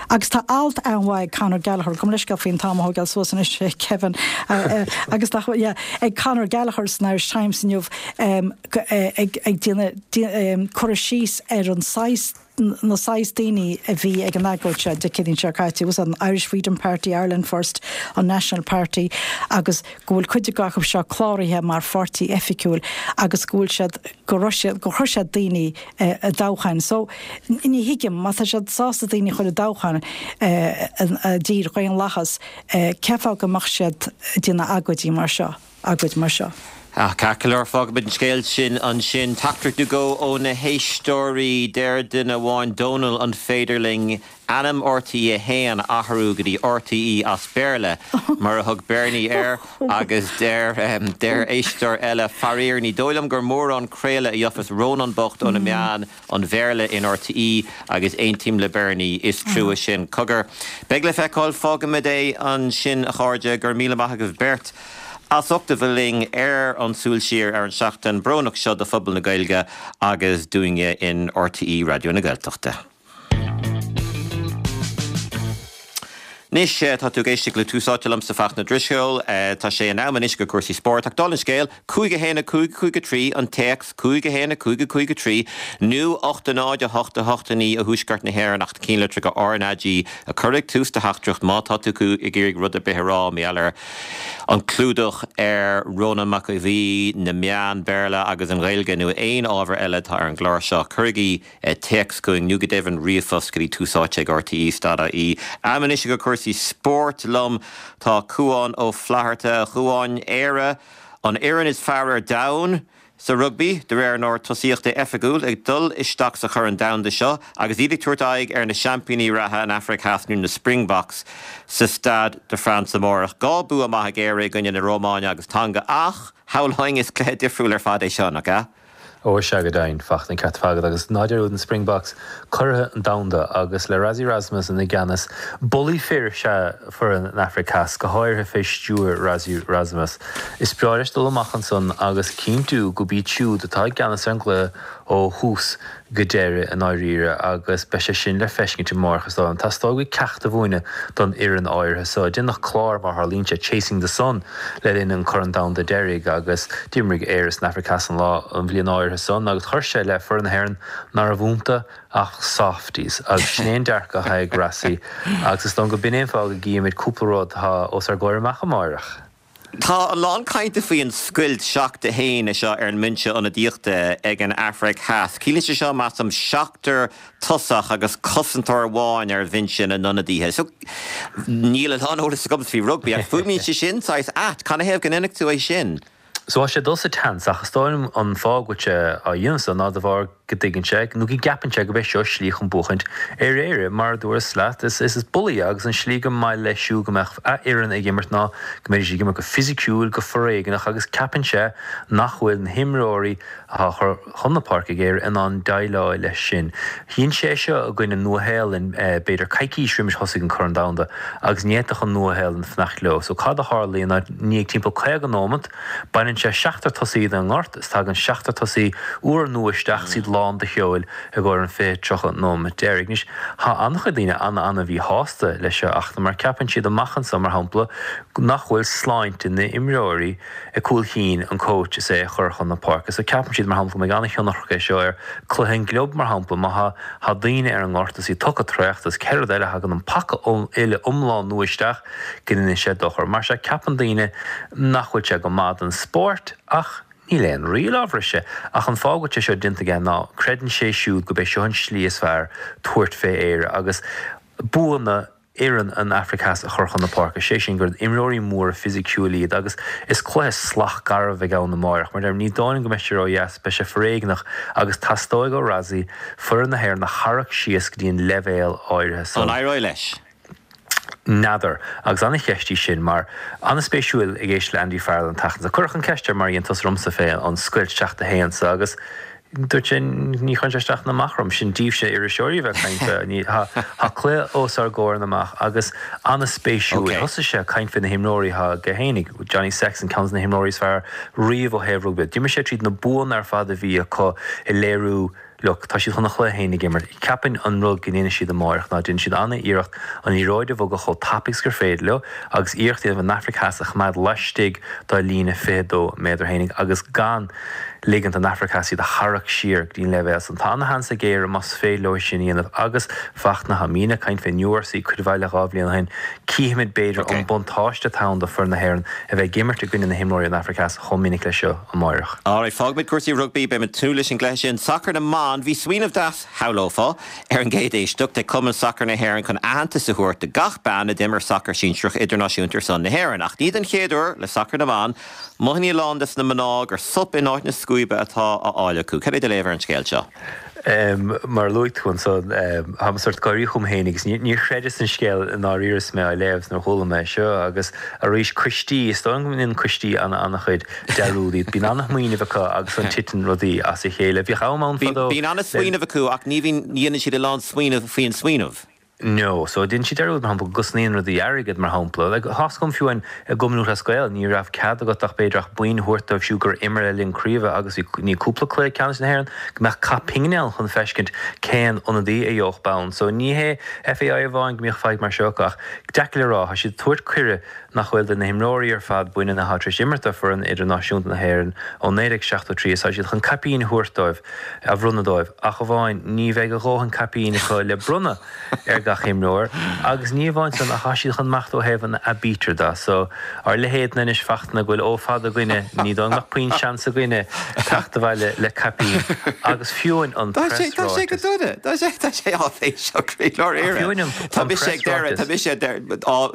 Agus tá alt an-mhaith ag Conor Gallagher, gabh mo leithscéal faoin t-am a thógáil suas anois Kevin uh, uh, agus tá yeah, ag Conor Gallagher san Irish Times inniu um, ag ag déanamh um, cur síos ar an saghas na saghas daoine a bhí ag an agóid seo Dé Céadaoin seo caite was an Irish Freedom Party, Ireland First, an National Party agus go bhfuil cuid acu seo cláraithe mar pháirtí oifigiúil agus go bhfuil siad go raibh siad go chuir siad daoine i dtoghcháin. So ní thuigim má tá siad sásta daoine chur i dtoghcháin i dtír dhaonlathach cén fáth go mbeadh siad ag déanamh agóidí mar seo, agóid mar seo. Ach ceart go leor fágfaimid an scéal sin ansin teachtaireacht nó dhó ó na héisteoirí deir duine amháin Dónal an féidir linn ainm RTÉ a haon a athrú go dtí RTE as Béarla mar a thug Bernie air agus deir deir éisteoir eile faraor ní dóigh liom gur mórán craoladh a gheofas Rónán bocht ó na meáin an Bhéarla in RTE agus aontaím le Bernie is trua sin cogar. Beidh le feiceáil fágfaimid é ansin a chairde go raibh míle maith agaibh beirt. As ucht a bheith linn ar an Súil Siar ar an seachtain brónach seo do phobal na Gaeilge agus dúinne in RTÉ Raidió na Gaeltachta. Anois tá tú ag éisteacht le Tús Áite liomsa Fachtna Drisceoil, tá sé in am anois do chúrsaí spóirt ach dála an scéil, cúig a haon a cúig a cúig a trí an téacs, cúig a haon a cúig a cúig a trí nó ocht a náid a hocht a hocht a naoi i dTuaisceart na hÉireann ach cinnlitreacha RnaG a chur ag tús do theachtaireacht má tá tú ag iarraidh rud ar bith a rá mar gheall ar an clúdach ar Rónán Mac Aodh Bhuí, na meáin Béarla agus an Ghaeilge nó aon ábhar eile atá ar an gclár seo. Cuirigí téacs chugainn nó go deimhin ríomhphost go dtí tús áite ag RTE dot ie. Am anois do chúrsaí spóirt liom tá Cuán Ó Flatharta, a Chuáin, Éire, an fhoireann is fearr ar domhan sa rugbaí, de réir an ord tosaíochta oifigiúil, ag dul isteach sa Chorn Domhanda seo agus iad ag tabhairt aghaidh ar na seaimpíní reatha, an Afraic Theas nó na Springboks, sa Stade de France amárach. Dhá bua maith ag Éire i gcoinne na Rómáine agus Tonga ach, shamhlóinn, is cluiche difriúil ar fad é seo, nach ea? Ó sea go deimhin, Fachtna, ceart agat agus ná dearmad na Springboks curaithe an domhanda agus le Rassie Erasmus ina gceannas, bulaí fir is ea foireann an Afraic Theas, go háirithe fé stiúir Rassie Erasmus. Is breá leis dul amach ansan agus cinntiú go b'iad siúd atá i gceannas ar an gcluiche ó thús go deireadh i ndáiríre agus beidh sé sin le feiscint amárach is dóigh liom. Teastóidh uaidh ceacht a mhúineadh don fhoireann áirithe so. Deineadh clár mar tharlaíonn sé, Chasing the Sun, le linn an Corn Domhanda deiridh agus d'imrigh Éire is an Afraic Theas an lá an bhliain áirithe san agus chuir sé le foireann na hÉireann ná raibh iontu ach softies agus sin é an dearcadh atá ag Rassie agus is dóigh liom go b'in é an fáth go gcífimid cúpla rud atá os ár gcomhair amach amárach. Tá a lán cainte faoi an scoilt seacht a haon seo ar an mbinse ionadaíochta ag an Afraic Theas. Ciallaíonn sé seo, measaim, seachtar tosach agus cosantóir amháin ar bhinse na n-ionadaithe. So, níl a lán eolas agam faoi rugbaí ach fuaimníonn sé sin saghas ait. Canathaobh go ndéanfadh tú é sin? So tá sé ag dul sa tseans ach is dóigh liom an fáth go bhfuil sé á dhéanamh so ná de bharr go dtuigeann sé, nó go gceapann sé go b'é seo slí chun buachaint ar Éire. Mar a dúras leat, is is bulaí agus an slí go maith leis siúd go mbeadh a fhoireann ag imirt ná go mbeidís ag imirt go fisiciúil, go foréigneach agus ceapann sé nach bhfuil na himreoirí atá á chur chun na páirce ag Éire in ann déileáil leis sin. Dhein sé seo i gcoinne Nua-Shéalainn b'fhéidir coicís roimis thosaigh an Corn Domhanda agus ní fhéadfadh an Nua-Shéalainn fanacht leo. So cad a tharlaíonn ná i ndiaidh timpeall caoga nóimeat, baineann sé seachtar tosaí den ngort is tagann seachtar tosaí úr nua isteach is iad lán de sheoil i gcomhair an fiche, tríocha nóimeat deiridh. Anois, tá an-chuid daoine an-an-mhíshásta leis seo ach mar ceapann siad amach anso, mar shampla, nach bhfuil sláinte na n-imreoirí ag cúl chinn an coach is é a chur chun na páirce. So ceapann siad, mar shampla, go mbeidh an-thionchar aige seo ar chluiche an gclub, mar shampla, má thá thá daoine ar an ngort is iad tugtha traochta is cén rud eile, thagann an paca uile iomlán nua isteach go ndéanann sé dochar. Mar sea, ceapann daoine nach bhfuil sé go maith don spórt ach níl aon riail á bhriseadh. Ach an fáth go bhfuil sé seo déanta aige ná creideann sé siúd go b'é seo an slí is fearr tabhairt fé Éire agus buanna fhoireann an Afraic Theas a chur chun na páirce, sé sin gur imreoirí móra fisiciúil iad agus is cluiche salach garbh a bheidh ann amáireach. Mar deirim, ní dóigh liom go mbeidh sé ródheas, beidh sé foréigneach agus teastóidh ó Rassie foireann na hÉireann a tharrac síos go dtí an leibhéal áirithe san. An éireoidh leis? N'fheadar. Agus an-cheist í sin mar an-spéisiúil ag éisteacht le Andy Farrell an tseachtain seo. Cuireadh an cheist air mar a dhein tusa ormsa fé an scoilt seacht a haon so agus Dúirt sé, ní chuireann sé isteach ná amach orm, sin daoibhse iriseoirí a bheith ag caint fé, tá cluiche os ár gcomhair amach agus an-spéisiúil. Thosaigh sé ag caint fé na himreoirí atá aige fhéinig, Johnny Sexton, ceann de na himreoirí is fearr riamh ó thaobh rugbaí. D'imigh sé tríd na buanna ar fad a bhí acu ag léiriú Look, tá siad chun an chluiche fhéin ag imirt. Ceapaim an rud go ndéanfaidh siad amáireach ná déanfaidh siad an-iarracht an liathróid a bhogadh chomh tapaidh is gur féidir leo agus iarracht a dhéanamh an Afraic Theas a choimeád laistigh dá líne fiche dó méadar fhéinig agus gan ligint don Afraic Theas iad a tharrac siar go dtí an leibhéal san. Tá ana-sheans ag Éire más féidir leo sin a dhéanamh agus Fachtna, tá muidne ag caint fén URC cuid mhaith le dhá bhliain ó shin, cífimid b'fhéidir an buntáiste atá ann do foireann na hÉireann a bheith ag imirt i gcoinne na himreoirí ón Afraic Theas chomh minic leis seo amáireach. Alright, fágfaimid cúrsaí rugbaí, beimid ag tnúth leis an gcluiche sin. Sacar na mban, bhí smaoineamh deas, shamhlófá, ar an gcéad éisteacht ag Cumann Sacair na hÉireann chun aitheantas a thabhairt do gach bean a d'imir sacar sinsearach idirnáisiúnta ar son na hÉireann. Ach ní den chéad uair le sacar na mban, mothaíonn a lán des na mná gur sop in áit na scuaibe atá á fháil acu. Cad é do léamh ar an scéal seo? Mar a luaigh tú ansan, táim sórt gáirí chugam féin agus níor chreideas an scéal i ndáiríre is mé á léamh nuair a chuala mé é seo agus arís coistí, is dóigh liom go ndéanann coistí an-chuid dearúd, bíonn an-smaoineamh acu agus ansan titeann rudaí as a chéile. Bhíodh am ann fadó. Bíonn an-smaoineamh acu ach ní bhíonn, ní dhéanann siad a lán smaoineamh faoin smaoineamh. No, so déanann siad dearúd, mar shampla, go gcosnaíonn rudaí airgead, mar shampla. Like, tá 'fhios agam fiú amháin i gCumann Lúthchleas Gael, ní raibh cead agat ach b'fhéidir ach boinn a thabhairt dóibh siúd gur imir le linn craoibhe agus bhí ní cúpla cluiche ceannais na hÉireann go mbeadh caith pingine ann chun feiscint cén ionadaí a gheobhadh bonn. So ní hé FAI amháin go mbíodh fadhb mar seo acu ach deacair le rá, tá siad ag tabhairt cuireadh nach bhfuil do na himreoirí ar fad baineann atá tar éis imirt do foireann idirnáisiúnta na hÉireann ó naoi déag seachtó trí is tá siad chun caipín a thabhairt dóibh, a bhronnadh dóibh, ach amháin ní bheidh a dhóthain caipín acu le bronnadh ar gach imreoir agus ní amháin san ach tá siad chun imeacht ó thaobh an aibítir de so ár leithéidne anois Fachtna go bhfuil O fada againne ní dóigh go mbeadh puinn seans againne teacht abhaile le caipín agus fiú amháin an Tá sé tá sé go preasráiteas. dona. Tá sé tá sé áiféiseach croílár Ach Éire. fiú amháin an Tá an mise ag deireadh tá preasráiteas. mise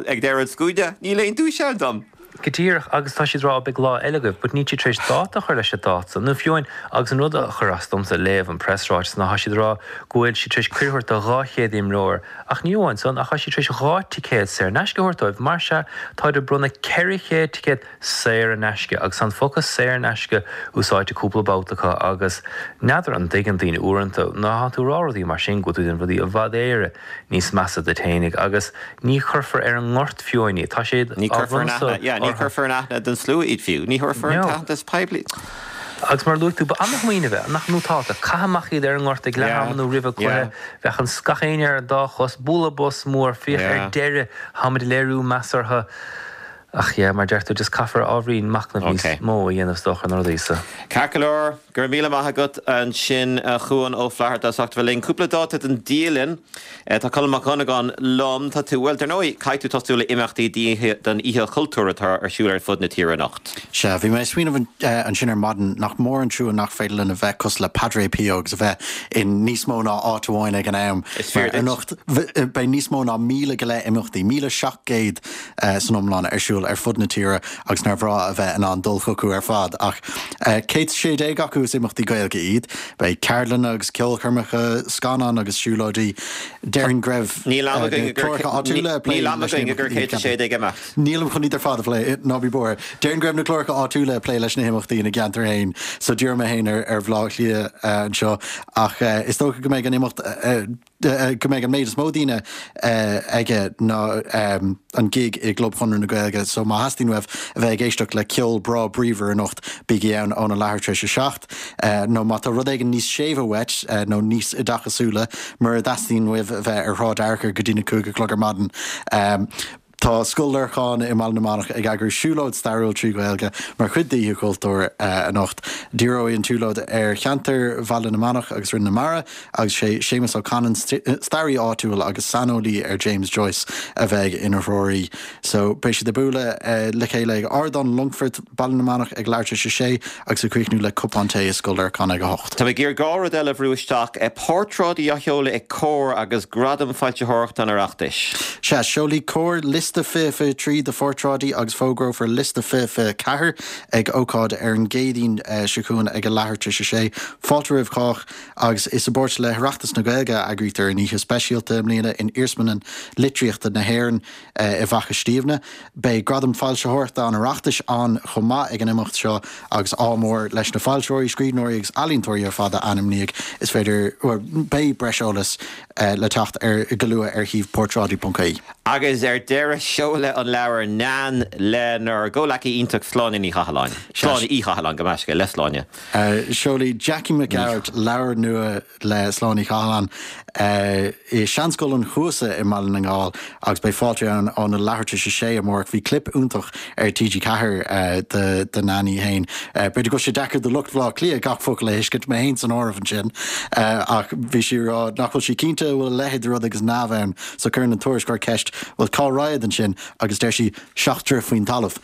ag deireadh an scuaine, níl aon duais ann dom. Go díreach, agus tá siad ag rá beidh lá eile agaibh, but níl siad tar éis dáta a chur leis an dáta san, nó fiú amháin, agus an rud a chuir as domsa léamh an preasráiteas ná tá siad ag rá go bhfuil siad tar éis cuireadh a thabhairt do dhá chéad imreoir, ach ní amháin san, ach tá siad tar éis dhá ticéad saor in aisce a thabhairt dóibh, mar sea, táid ag bronnadh ceithre chéad ticéad saor in aisce, agus tá an focal saor in aisce úsáidte cúpla babhta acu, agus n'fheadar an dtuigeann daoine uaireanta, nuair atá tú ag rá rudaí mar sin, go bhfuil tú ag déanamh rudaí i bhfad Éire níos measa duit fhéinig, agus ní chuirfear ar an ngort fiú amháin iad, tá siad Ní á chuirfear in bhronnadh so aithne, yeah, ní orthu. chuirfear in aithne don slua iad fiú, ní thabharfar an No. t-aitheantas poiblí. Agus mar a luaigh tú, ba an-smaoineamh é, nach nótálta, caith amach iad ar an ngort ag leath Yeah, ama nó roimh an cluiche, yeah. bheadh an gach éinne ar an dá chos, bualadh bos mór, féach ar Yeah. deireadh, táimid ag léiriú meas orthu. Ach yeah, mar deir tú, just caithfear ábhairín machnamh níos Okay. mó a dhéanamh is dócha ar na rudaí so. Ceart go leor, go raibh míle maith agat ansin a Chuan Ó Flatharta as ucht a bheith linn. Cúpla dáta den dialann. Tá Colm Mac Dhonnagáin liom. Tá tú, bhuel, dar ndóigh, caithfidh tú tosú le imeachtaí don Oíche Chultúir atá ar siúl ar fud na tíre anocht. Sea, bhí mé ag smaoineamh ansin ar maidin nach mór an trua nach féidir linn a bheith cosúil le Padre Pio agus a bheith in níos mó ná áit amháin ag an am. Is fíor duit. Anocht beidh níos mó ná míle go leith imeachtaí, míle seacht gcéad san iomlán ar siúl ar fud na tíre agus nár bhreá a bheith in ann dul chucu ar fad ach céad sé déag acu is imeachtaí Gaeilge iad, beidh ceardlanna agus ceolchoirmeacha, scannáin agus siúlóidí. Déarfainn go raibh Níl am againn gur cláracha áitiúla ag plé Níl am leis na againn gur himeachtaí céad a sé déag imeacht. Nílim chun iad ar fad a phlé ná bí buartha. Déarfainn go raibh na cláracha áitiúla ag plé leis na himeachtaí ina gceantar féin, so díreoidh mé féin ar ar Bhaile Átha Cliath anseo ach is dócha go mbeidh an imeacht go mbeidh an méid is mó daoine aige ná an gig i gClub Chonradh na Gaeilge, so má theastaíonn uaibh a bheith ag éisteacht le ceol breá bríomhar anocht bígí ann óna leathuair tar éis a seacht, nó má tá rud éigin níos séimhe uait nó níos oideachasúla mura dteastaíonn uaibh a bheith ar Shráid Fhearchair go dtí na cúig a chlog ar maidin. Tá Scoil Lorcáin i mBaile na Manach ag eagrú siúlóid stairiúil trí Ghaeilge mar chuid d'Oíche Chultúir anocht. Díreoidh an tsiúlóid ar cheantar Bhaile na Manach agus Rinn na Mara agus sé Séamus Ó Canainn, staraí áitiúil agus saineolaí ar James Joyce a bheidh ina threoraí. So beidh siad ag bualadh le chéile ag Ardán Longfoirt, Baile na Manach ag leathuair tar éis a sé agus ag críochnú le cupán tae i Scoil Lorcáin ag a hocht. Tá mé ag iarraidh dhá rud eile a bhrú isteach, portráidí á sheoladh ag Comhar agus Gradam Foilsitheoireachta an Oireachtais. Sea, seolfaidh Comhar liosta liosta fiche fiche trí de phortráidí agus fógrófar liosta fiche fiche ceathair ag ócáid ar an gCéadaoin seo chugainn ag a leathuair tar éis a sé. Fáilte roimh chách agus is i bpáirt le hOireachtas na Gaeilge a eagraítear an oíche speisialta i mbliana in Iarsmalann Litríochta na hÉireann i bhFaiche Stiabhna. Beidh Gradam Foilsitheoireachta an Oireachtais ann chomh maith ag an imeacht seo agus ádh mór leis na foilsitheoirí, scríbhneoirí agus ealaíontóirí ar fad a ainmníodh. Is féidir, bhuel, beidh breis eolais le teacht ar go luath ar shuíomh portráidí ponc ie. Agus ar deireadh, seoladh an leabhar Nan lenár gcomhleacaí iontach Sláine Ní Chathalláin. Sláine Uí Chathalláin, gabh mo leithscéal, le Sláine. Seolfaidh Jackie Mac Gearailt leabhar nua le Sláine Uí Chathalláin i Seanscoil an Chuasa i mBaile na nGall agus beidh fáilte ann óna leathuair tar éis a sé amárach. Bhí clip iontach ar T G ceathair de Nan í fhéin. B'fhéidir go bhfuil sé deacair do lucht Bhaile Átha Cliath gach focal a thuiscint, mé fhéin san áireamh ansin, ach bhí sí ag rá nach bhfuil sí cinnte an bhfuil a leithéid de rud agus neamh ann so cuireann an tuairisceoir ceist bhuel cá raghad ansin agus deir sí seacht dtroith faoin talamh.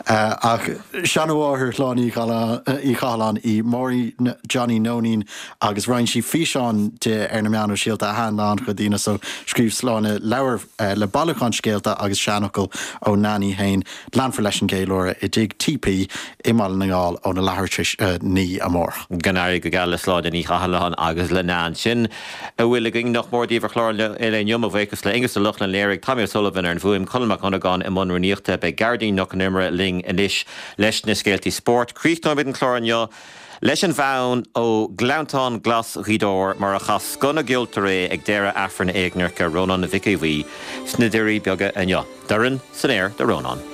Ach seanmháthair Shláine Uí Chathalláin í Máirín Johnny Nóinín agus roinn sí físeán di ar na meáin shóisialta a thaitin le an-chuid daoine so scríobh Sláine leabhar le bailiúchán scéalta agus seanfhocal ó Nan í fhéin. Leanfar leis an gceiliúradh i dTigh T P i mBaile na nGall óna leathuair tar éis a naoi amárach. Go n-éirí go geal le Sláine Ní Chathalláin agus le Nan. Sin a bhfuil againn nach mór daoibh ar chlár an lae inniu. Mo bhuíochas le Aonghus Ó Lochlainn léirigh Tommy O'Sullivan ar an bhfuaim, Colm Mac Dhonnagáin i mbun rúnaíochta. Beidh Gearóidín Nic Con Iomaire linn anois leis na scéaltaí spóirt. Críochnóimid an clár inniu leis an bhfonn ó Ghleanntán Glas Ghaoth Dobhair mar a chas scoth na gceoltóirí ag deireadh Aifreann éagnairce Rónán Mhic Aodha Bhuí sna Doirí Beaga inniu. Dorn san aer do Rónán.